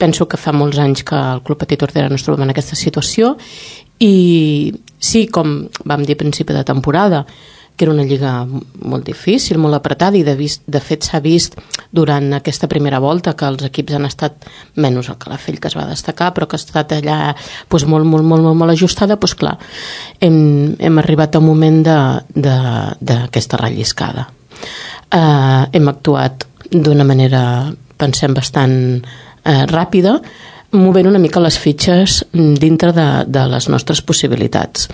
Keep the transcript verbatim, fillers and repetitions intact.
penso que fa molts anys que el Club Petit Tordera no es trobem en aquesta situació i sí, com vam dir a principi de temporada, que era una lliga molt difícil, molt apretada i de, vist, de fet s'ha vist durant aquesta primera volta que els equips han estat, menys el Calafell que es va destacar, però que ha estat allà doncs, molt, molt, molt, molt, molt ajustada, doncs clar, hem, hem arribat a un moment d'aquesta relliscada. Eh, hem actuat d'una manera, pensem, bastant eh, ràpida, movent una mica les fitxes dintre de, de les nostres possibilitats.